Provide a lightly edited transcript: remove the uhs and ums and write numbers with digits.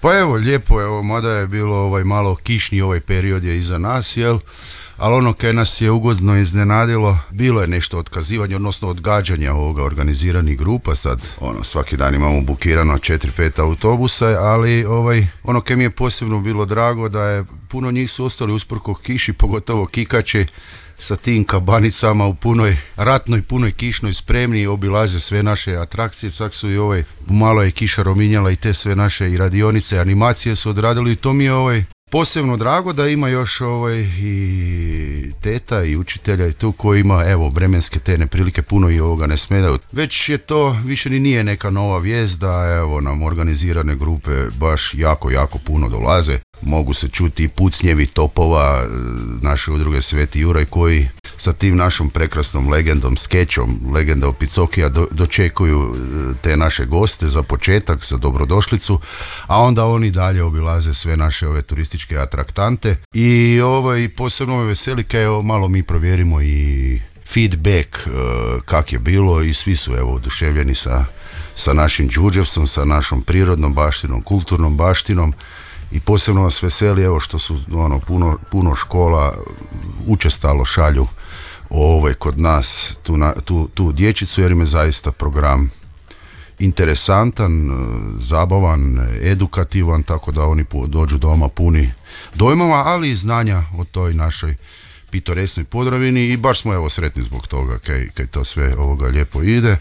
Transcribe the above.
Pa evo, lijepo, evo, mada je bilo malo kišni period je iza nas, jel? Ali ono kaj nas je ugodno iznenadilo, bilo je nešto otkazivanja, odnosno odgađanja ovoga organiziranih grupa, sad svaki dan imamo bukirano 4-5 autobusa, ali ono kaj mi je posebno bilo drago da je puno njih su ostali usprko kiši, pogotovo kikači, sa tim kabanicama u punoj ratnoj, punoj kišnoj spremni, obilaze sve naše atrakcije, čak su i malo je kiša rominjala i te sve naše i radionice, animacije su odradili i to mi je posebno drago da ima još i teta i učitelja i tu koji ima vremenske te neprilike puno i ovoga ne smedaju. Već je to, više ni nije neka nova vijest da nam organizirane grupe baš jako puno dolaze. Mogu se čuti i pucnjevi topova naše udruge Sveti Juraj koji sa tim našom prekrasnom legendom, skečom legenda Opicokija dočekuju te naše goste za početak, za dobrodošlicu, a onda oni dalje obilaze sve naše ove turističke atraktante i posebno me veseli kaj malo mi provjerimo i feedback kak je bilo i svi su oduševljeni sa našim Đurđevcom, sa našom prirodnom baštinom, kulturnom baštinom. I posebno vas veseli što su puno škola učestalo šalju kod nas tu dječicu jer im je zaista program interesantan, zabavan, edukativan, tako da oni dođu doma puni dojmova, ali i znanja o toj našoj pitoresnoj Podravini i baš smo sretni zbog toga kaj to sve lijepo ide.